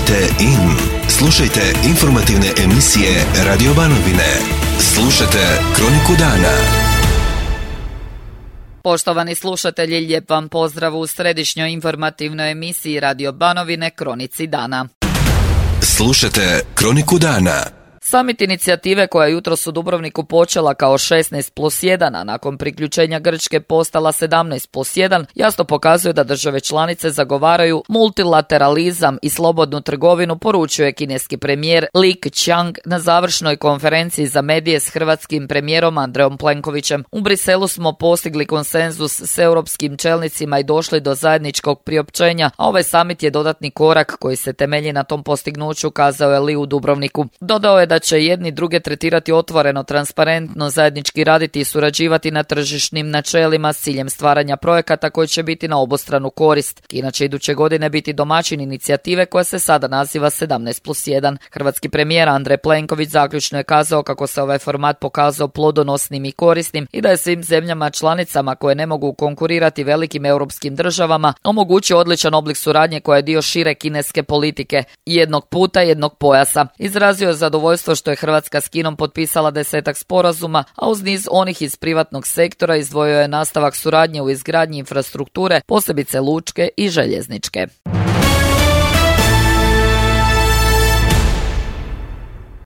Tunite in. Slušajte informativne emisije Radio Banovine. Slušajte Kroniku dana. Poštovani slušatelji, lijep vam pozdrav u središnjoj informativnoj emisiji Radio Banovine Kronici dana. Slušajte Kroniku dana. Samit inicijative koja je jutros u Dubrovniku počela kao 16+1, a nakon priključenja Grčke postala 17+1, jasno pokazuje da države članice zagovaraju multilateralizam i slobodnu trgovinu, poručuje kineski premijer Li Keqiang na završnoj konferenciji za medije s hrvatskim premijerom Andrejom Plenkovićem. U Briselu smo postigli konsenzus s europskim čelnicima i došli do zajedničkog priopćenja, a ovaj samit je dodatni korak koji se temelji na tom postignuću, kazao je Li u Dubrovniku. Dodao je da će jedni druge tretirati otvoreno, transparentno, zajednički raditi i surađivati na tržišnim načelima s ciljem stvaranja projekata koji će biti na obostranu korist. Kina će iduće godine biti domaćin inicijative koja se sada naziva 17+1. Hrvatski premijer Andrej Plenković zaključno je kazao kako se ovaj format pokazao plodonosnim i korisnim i da je svim zemljama članicama koje ne mogu konkurirati velikim europskim državama omogućio odličan oblik suradnje koja je dio šire kineske politike jednog puta, jednog pojasa. Izrazio je zadovoljstvo što je Hrvatska s Kinom potpisala 10 sporazuma, a uz niz onih iz privatnog sektora izdvojio je nastavak suradnje u izgradnji infrastrukture, posebice lučke i željezničke.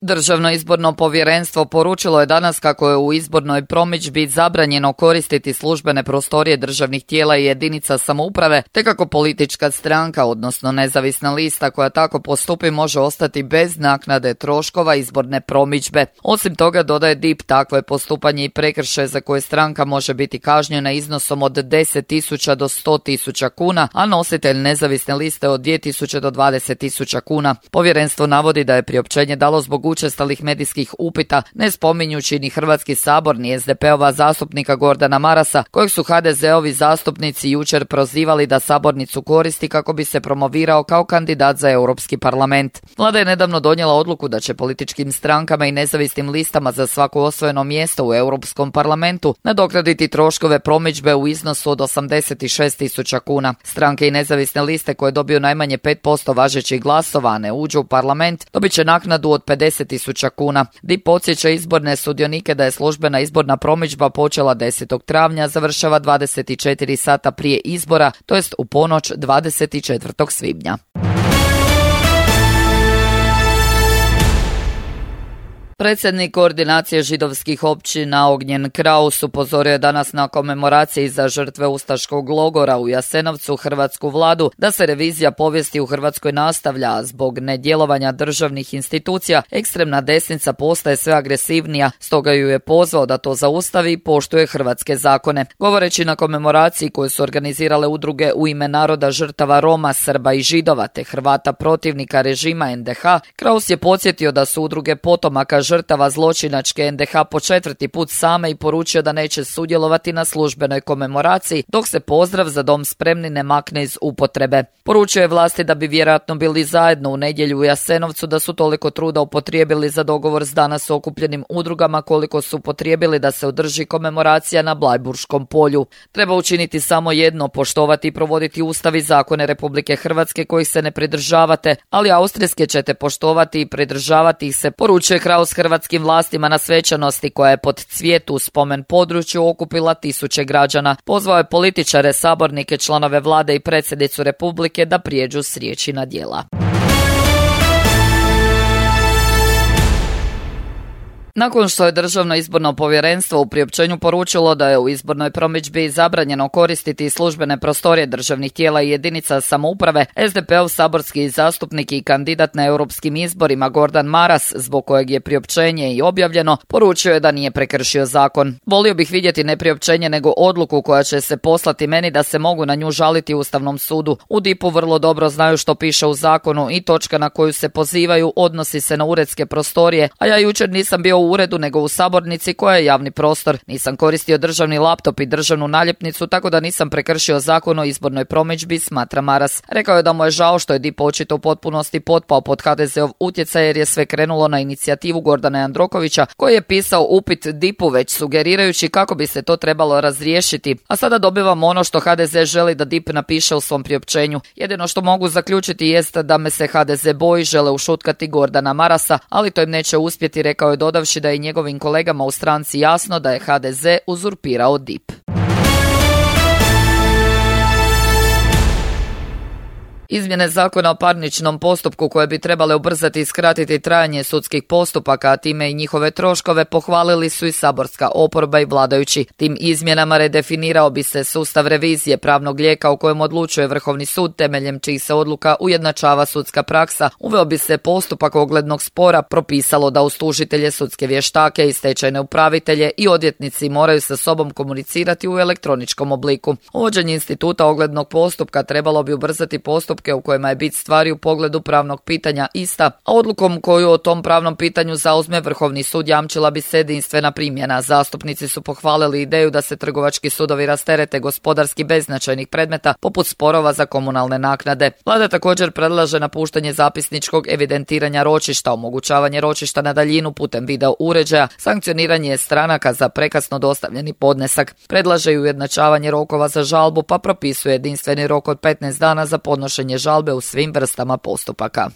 Državno izborno povjerenstvo poručilo je danas kako je u izbornoj promidžbi zabranjeno koristiti službene prostorije državnih tijela i jedinica samouprave, te kako politička stranka, odnosno nezavisna lista koja tako postupi, može ostati bez naknade troškova izborne promidžbe. Osim toga, dodaje DIP, takvo je postupanje i prekršaj za koje stranka može biti kažnjena iznosom od 10.000 do 100.000 kuna, a nositelj nezavisne liste od 2.000 do 20.000 kuna. Povjerenstvo navodi da je priopćenje dalo zbog učestalih medijskih upita, ne spominjući ni Hrvatski sabor ni SDP-ova zastupnika Gordana Marasa, kojeg su HDZ-ovi zastupnici jučer prozivali da sabornicu koristi kako bi se promovirao kao kandidat za Europski parlament. Vlada je nedavno donijela odluku da će političkim strankama i nezavisnim listama za svako osvojeno mjesto u Europskom parlamentu nadoknaditi troškove promidžbe u iznosu od 86.000 kuna. Stranke i nezavisne liste koje dobiju najmanje 5% važećih glasova, a ne uđu u parlament, dobit će naknadu od 50.000 kuna. DIP podsjeća izborne sudionike da je službena izborna promidžba počela 10. travnja, završava 24 sata prije izbora, to jest u ponoć 24. svibnja. Predsjednik koordinacije židovskih općina Ognjen Kraus upozorio je danas na komemoraciji za žrtve ustaškog logora u Jasenovcu hrvatsku vladu da se revizija povijesti u Hrvatskoj nastavlja, a zbog nedjelovanja državnih institucija ekstremna desnica postaje sve agresivnija, stoga ju je pozvao da to zaustavi i poštuje hrvatske zakone. Govoreći na komemoraciji koju su organizirale udruge u ime naroda žrtava Roma, Srba i Židova te Hrvata protivnika režima NDH, Kraus je podsjetio da su udruge potomaka žrtava zločinačke NDH po 4. put same i poručio da neće sudjelovati na službenoj komemoraciji dok se pozdrav za dom spremni ne makne iz upotrebe. Poručio je vlasti da bi vjerojatno bili zajedno u nedjelju u Jasenovcu da su toliko truda upotrijebili za dogovor s danas okupljenim udrugama koliko su upotrijebili da se održi komemoracija na Blajburškom polju. Treba učiniti samo jedno, poštovati i provoditi ustav i zakone Republike Hrvatske kojih se ne pridržavate, ali austrijske ćete poštovati i pridržavati ih se, poručuje Kraus hrvatskim vlastima na svečanosti koja je pod Cvijetu u spomen području okupila tisuće građana. Pozvao je političare, sabornike, članove vlade i predsjednicu Republike da prijeđu s riječi na djela. Nakon što je Državno izborno povjerenstvo u priopćenju poručilo da je u izbornoj promidžbi zabranjeno koristiti službene prostorije državnih tijela i jedinica samouprave, SDP-ov saborski zastupnik i kandidat na europskim izborima Gordan Maras, zbog kojeg je priopćenje i objavljeno, poručio je da nije prekršio zakon. Volio bih vidjeti ne priopćenje nego odluku koja će se poslati meni da se mogu na nju žaliti Ustavnom sudu. U DIP-u vrlo dobro znaju što piše u zakonu i točka na koju se pozivaju odnosi se na uredske prostorije, a ja jučer nisam bio u uredu nego u sabornici koja je javni prostor. Nisam koristio državni laptop i državnu naljepnicu, tako da nisam prekršio zakon o izbornoj promidžbi, smatra Maras. Rekao je da mu je žao što je DIP očito u potpunosti potpao pod HDZ-ov utjecaj jer je sve krenulo na inicijativu Gordana Jandrokovića koji je pisao upit DIP-u već sugerirajući kako bi se to trebalo razriješiti. A sada dobivamo ono što HDZ želi da DIP napiše u svom priopćenju. Jedino što mogu zaključiti jest da me se HDZ boji, žele ušutkati Gordana Marasa, ali to im neće uspjeti, rekao je dodavši da je njegovim kolegama u stranci jasno da je HDZ uzurpirao DIP. Izmjene zakona o parničnom postupku koje bi trebale ubrzati i skratiti trajanje sudskih postupaka, a time i njihove troškove, pohvalili su i saborska oporba i vladajući. Tim izmjenama redefinirao bi se sustav revizije pravnog lijeka u kojem odlučuje Vrhovni sud, temeljem čijih se odluka ujednačava sudska praksa. Uveo bi se postupak oglednog spora, propisalo da uz tužitelje, sudske vještake i stečajne upravitelje i odvjetnici moraju sa sobom komunicirati u elektroničkom obliku. Uvođenje instituta oglednog postupka trebalo bi ubrzati postupke u kojima je bit stvari u pogledu pravnog pitanja ista, a odlukom koju o tom pravnom pitanju zauzme Vrhovni sud jamčila bi se jedinstvena primjena. Zastupnici su pohvalili ideju da se trgovački sudovi rasterete gospodarski beznačajnih predmeta, poput sporova za komunalne naknade. Vlada također predlaže napuštanje zapisničkog evidentiranja ročišta, omogućavanje ročišta na daljinu putem video uređaja, sankcioniranje stranaka za prekasno dostavljeni podnesak. Predlaže i ujednačavanje rokova za žalbu, pa propisuje jedinstveni rok od 15 dana za podnošenje žalbe u svim vrstama postupaka.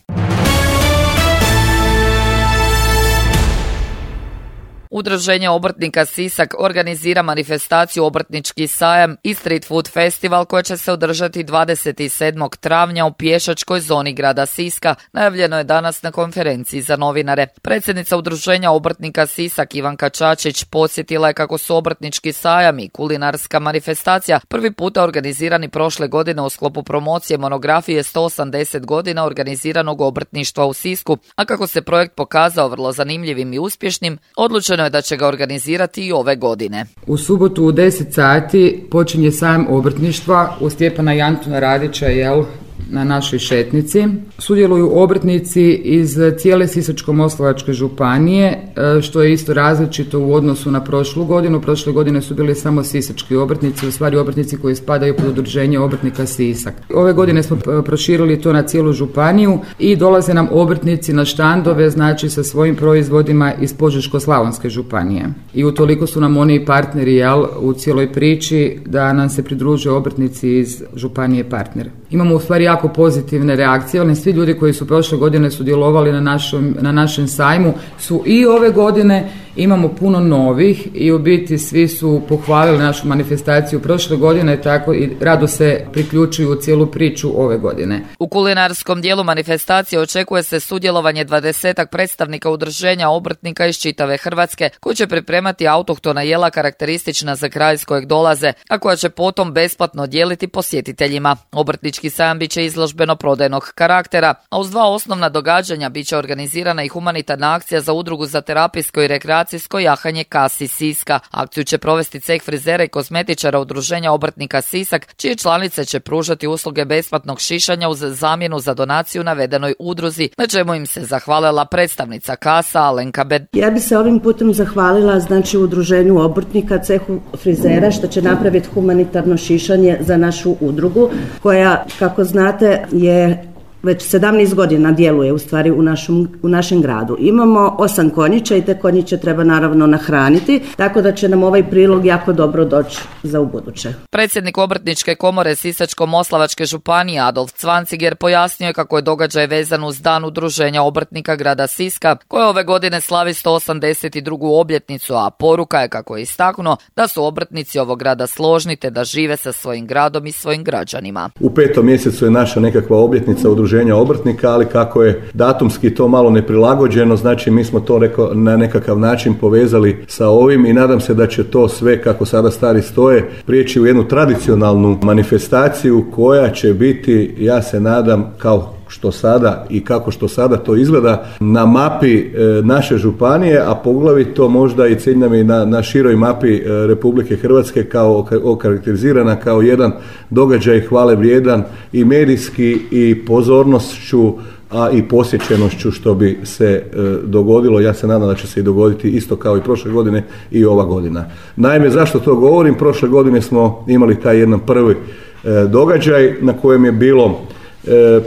Udruženje obrtnika Sisak organizira manifestaciju Obrtnički sajam i Street Food Festival koja će se održati 27. travnja u pješačkoj zoni grada Siska, najavljeno je danas na konferenciji za novinare. Predsjednica Udruženja obrtnika Sisak Ivanka Čačić podsjetila je kako su Obrtnički sajam i kulinarska manifestacija prvi puta organizirani prošle godine u sklopu promocije monografije 180 godina organiziranog obrtništva u Sisku, a kako se projekt pokazao vrlo zanimljivim i uspješnim, odlučeno je da će ga organizirati i ove godine. U subotu u 10 sati počinje sajam obrtništva u Stjepana i Antuna Radića, na našoj šetnici. Sudjeluju obrtnici iz cijele Sisačko-moslavačke županije, što je isto različito u odnosu na prošlu godinu. Prošle godine su bili samo sisački obrtnici, u stvari obrtnici koji spadaju pod udruženje obrtnika Sisak. Ove godine smo proširili to na cijelu županiju i dolaze nam obrtnici na štandove, znači sa svojim proizvodima iz Požeško-slavonske županije. I utoliko su nam oni partneri u cijeloj priči da nam se pridruže obrtnici iz županije partner. Imamo u stvari jako pozitivne reakcije, ali svi ljudi koji su prošle godine sudjelovali na našem sajmu su i ove godine. Imamo puno novih i u biti svi su pohvalili našu manifestaciju prošle godine, tako i rado se priključuju u cijelu priču ove godine. U kulinarskom dijelu manifestacije očekuje se sudjelovanje 20-ak predstavnika udruženja obrtnika iz čitave Hrvatske koji će pripremati autohtona jela karakteristična za kraj iz kojeg dolaze, a koja će potom besplatno dijeliti posjetiteljima. Obrtnički sajam bit će izložbeno-prodajnog karaktera, a uz 2 osnovna događanja bit će organizirana i humanitarna akcija za udrugu za terapijsko i rekreacijsko jahanje Kasi Siska. Akciju će provesti ceh frizera i kozmetičara udruženja obrtnika Sisak, čije članice će pružati usluge besplatnog šišanja uz zamjenu za donaciju navedenoj udruzi, na čemu im se zahvalila predstavnica Kasa Alenka Bed. Ja bi se ovim putem zahvalila udruženju obrtnika, cehu frizera, što će napraviti humanitarno šišanje za našu udrugu, koja, kako znate, je već 17 godina djeluje u stvari u našem gradu. Imamo 8 konjića i te konjiće treba naravno nahraniti, tako da će nam ovaj prilog jako dobro doći za ubuduće. Predsjednik Obrtničke komore Sisačko-moslavačke županije Adolf Cvanciger pojasnio je kako je događaj vezan uz dan udruženja obrtnika grada Siska, koje ove godine slavi 182. obljetnicu, a poruka je, kako je istaknuo, da su obrtnici ovog grada složni te da žive sa svojim gradom i svojim građanima. U 5. mjesecu je naša nekakva obljetnica udruženja obrtnika, ali kako je datumski to malo neprilagođeno, znači mi smo to na nekakav način povezali sa ovim i nadam se da će to sve, kako sada stvari stoje, prijeći u jednu tradicionalnu manifestaciju koja će biti, ja se nadam, kao što sada i kako što sada to izgleda na mapi naše županije, a poglavito možda i cilj nam je na široj mapi Republike Hrvatske kao okarakterizirana kao jedan događaj hvale vrijedan i medijski i pozornošću a i posjećenošću što bi se dogodilo. Ja se nadam da će se i dogoditi isto kao i prošle godine i ova godina. Naime, zašto to govorim? Prošle godine smo imali taj jedan prvi događaj na kojem je bilo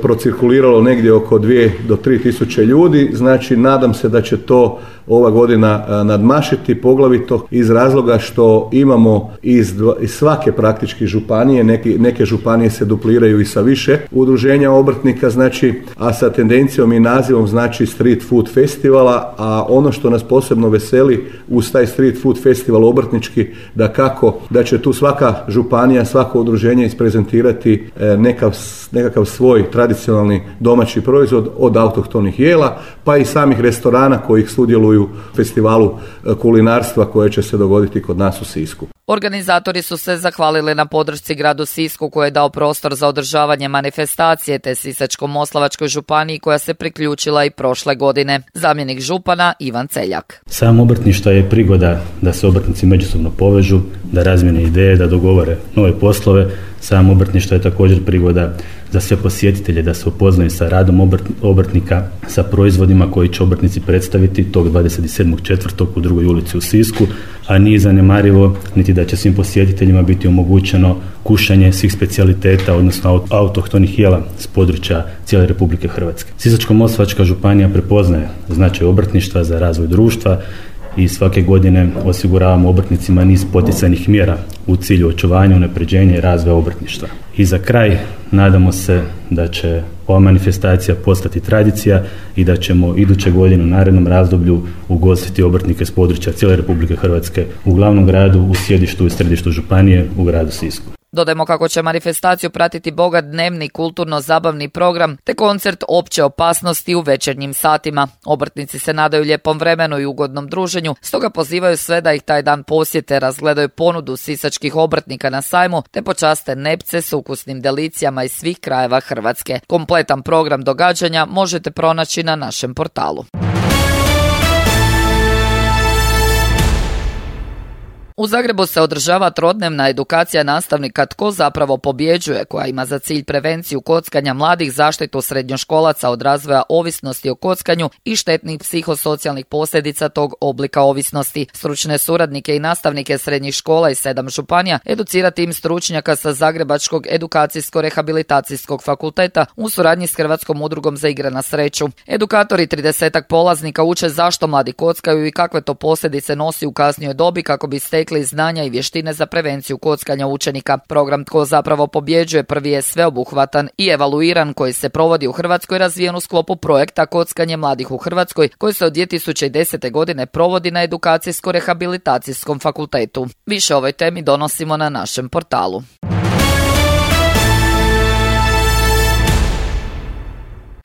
procirkuliralo negdje oko 2 do 3 tisuće ljudi, znači nadam se da će to ova godina nadmašiti, poglavito iz razloga što imamo iz svake praktički županije, neke županije se dupliraju i sa više udruženja obrtnika, znači, a sa tendencijom i nazivom znači Street Food Festivala, a ono što nas posebno veseli uz taj Street Food Festival obrtnički, da će tu svaka županija, svako udruženje isprezentirati nekakav svoj tradicionalni domaći proizvod od autohtonih jela, pa i samih restorana kojih sudjeluju u festivalu kulinarstva koje će se dogoditi kod nas u Sisku. Organizatori su se zahvalili na podršci gradu Sisku koji je dao prostor za održavanje manifestacije te Sisačko-moslavačkoj županiji koja se priključila i prošle godine. Zamjenik župana Ivan Celjak. Sam obrtništvo je prigoda da se obrtnici međusobno povežu, da razmijene ideje, da dogovore nove poslove. Sam obrtništvo je također prigoda za sve posjetitelje da se upoznaju sa radom obrtnika, sa proizvodima koji će obrtnici predstaviti tog 27.4. u 2. ulici u Sisku, a nije zanemarivo niti da će svim posjetiteljima biti omogućeno kušanje svih specijaliteta, odnosno autohtonih jela s područja cijele Republike Hrvatske. Sisačko-moslavačka županija prepoznaje značaj obrtništva za razvoj društva i svake godine osiguravamo obrtnicima niz poticajnih mjera u cilju očuvanja, unapređenja i razvoja obrtništva. I za kraj nadamo se da će ova manifestacija postati tradicija i da ćemo iduće godine u narednom razdoblju ugostiti obrtnike s područja cijele Republike Hrvatske u glavnom gradu, u sjedištu i središtu županije u gradu Sisku. Dodajmo kako će manifestaciju pratiti bogat dnevni kulturno-zabavni program te koncert opće opasnosti u večernjim satima. Obrtnici se nadaju lijepom vremenu i ugodnom druženju, stoga pozivaju sve da ih taj dan posjete, razgledaju ponudu sisačkih obrtnika na sajmu te počaste nepce s ukusnim delicijama iz svih krajeva Hrvatske. Kompletan program događanja možete pronaći na našem portalu. U Zagrebu se održava trodnevna edukacija nastavnika Tko zapravo pobjeđuje, koja ima za cilj prevenciju kockanja mladih, zaštitu srednjoškolaca od razvoja ovisnosti o kockanju i štetnih psihosocijalnih posljedica tog oblika ovisnosti. Stručne suradnike i nastavnike srednjih škola iz 7 županija educira tim stručnjaka sa Zagrebačkog edukacijsko-rehabilitacijskog fakulteta u suradnji s Hrvatskom udrugom za igre na sreću. Edukatori 30 polaznika uče zašto mladi kockaju i kakve to posljedice nosi u kasnijoj dobi kako bi stekli znanja i vještine za prevenciju kockanja učenika. Program Tko zapravo pobjeđuje prvi je sveobuhvatan i evaluiran koji se provodi u Hrvatskoj, razvijen u sklopu projekta Kockanje mladih u Hrvatskoj koji se od 2010. godine provodi na Edukacijsko-rehabilitacijskom fakultetu. Više o ovoj temi donosimo na našem portalu.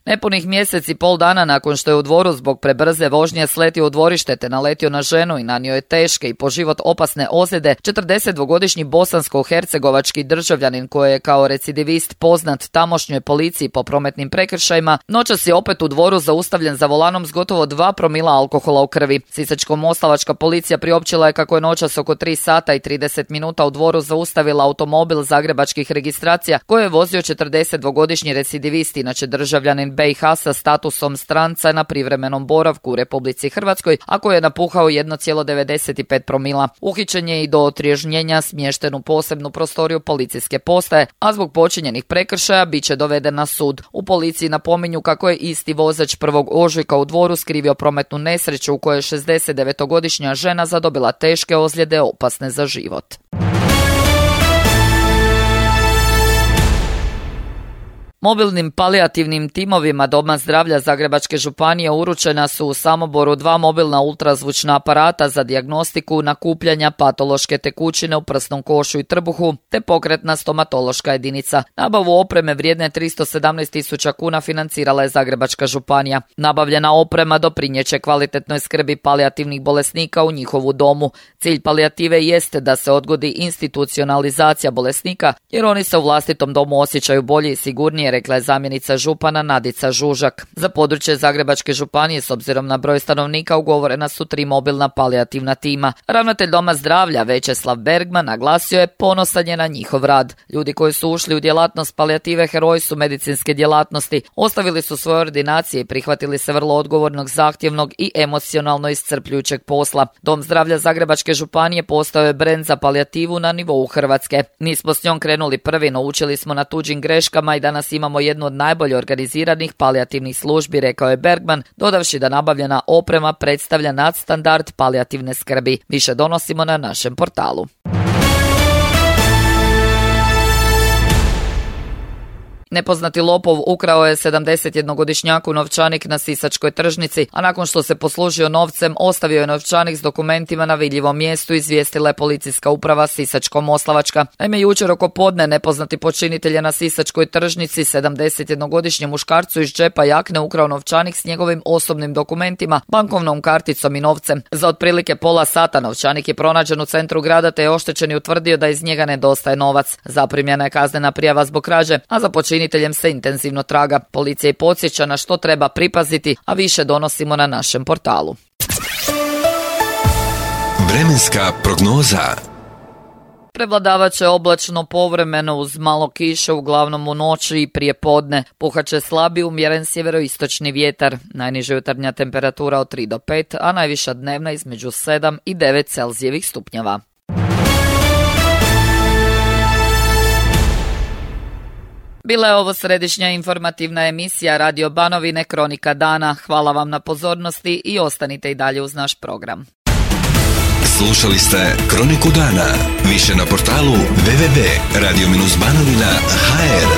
Nepunih mjesec i pol dana nakon što je u Dvoru zbog prebrze vožnje sletio u dvorište te naletio na ženu i nanio je teške i po život opasne ozljede, 42-godišnji bosansko-hercegovački državljanin koji je kao recidivist poznat tamošnjoj policiji po prometnim prekršajima, noćas je opet u Dvoru zaustavljen za volanom s gotovo 2 promila alkohola u krvi. Sisačko-moslavačka policija priopćila je kako je noćas oko 3 sata i 30 minuta u Dvoru zaustavila automobil zagrebačkih registracija koje je vozio 42-godišnji recidivist, inače državljanin BiH sa statusom stranca na privremenom boravku u Republici Hrvatskoj, a koji je napuhao 1,95 promila. Uhićen je i do otriježnjenja smješten u posebnu prostoriju policijske postaje, a zbog počinjenih prekršaja bit će doveden na sud. U policiji napominju kako je isti vozač 1. ožujka u Dvoru skrivio prometnu nesreću u kojoj je 69-godišnja žena zadobila teške ozljede opasne za život. Mobilnim palijativnim timovima Doma zdravlja Zagrebačke županije uručena su u Samoboru 2 mobilna ultrazvučna aparata za dijagnostiku nakupljanja patološke tekućine u prsnom košu i trbuhu, te pokretna stomatološka jedinica. Nabavu opreme vrijedne 317.000 kuna financirala je Zagrebačka županija. Nabavljena oprema doprinjeće kvalitetnoj skrbi palijativnih bolesnika u njihovu domu. Cilj palijative jeste da se odgodi institucionalizacija bolesnika, jer oni se u vlastitom domu osjećaju bolje i sigurnije, rekla je zamjenica župana Nadica Žužak. Za područje Zagrebačke županije s obzirom na broj stanovnika ugovorena su 3 mobilna palijativna tima. Ravnatelj Doma zdravlja Večeslav Bergman naglasio je ponosan je na njihov rad. Ljudi koji su ušli u djelatnost palijative heroji su medicinske djelatnosti, ostavili su svoje ordinacije i prihvatili se vrlo odgovornog, zahtjevnog i emocionalno iscrpljujućeg posla. Dom zdravlja Zagrebačke županije postao je brend za palijativu na nivou Hrvatske. Nismo s njom krenuli prvi, no učili smo na tuđim greškama i danas imamo jednu od najbolje organiziranih palijativnih službi, rekao je Bergman, dodavši da nabavljena oprema predstavlja nadstandard palijativne skrbi. Više donosimo na našem portalu. Nepoznati lopov ukrao je 71-godišnjaku novčanik na sisačkoj tržnici, a nakon što se poslužio novcem, ostavio je novčanik s dokumentima na vidljivom mjestu, izvijestila je policijska uprava Sisačko-moslavačka. Naime, jučer oko podne nepoznati počinitelj je na sisačkoj tržnici 71-godišnjem muškarcu iz džepa jakne ukrao novčanik s njegovim osobnim dokumentima, bankovnom karticom i novcem. Za otprilike pola sata novčanik je pronađen u centru grada, te je oštećeni utvrdio da iz njega nedostaje novac. Zaprimljena je kaznena prijava zbog krađe, a za počiniteljem se intenzivno traga. Policija podsjeća na što treba pripaziti, a više donosimo na našem portalu. Vremenska prognoza. Prevladavat će oblačno povremeno uz malo kiše, uglavnom u noći i prije podne. Puhat će slabi umjeren sjeveroistočni vjetar. Najniža jutarnja temperatura od 3 do 5, a najviša dnevna između 7 i 9 Celzijevih stupnjeva. Bila je ovo središnja informativna emisija Radio Banovine Kronika dana. Hvala vam na pozornosti i ostanite i dalje uz naš program. Slušali ste Kroniku dana. Više na portalu www.radio-banovina.hr.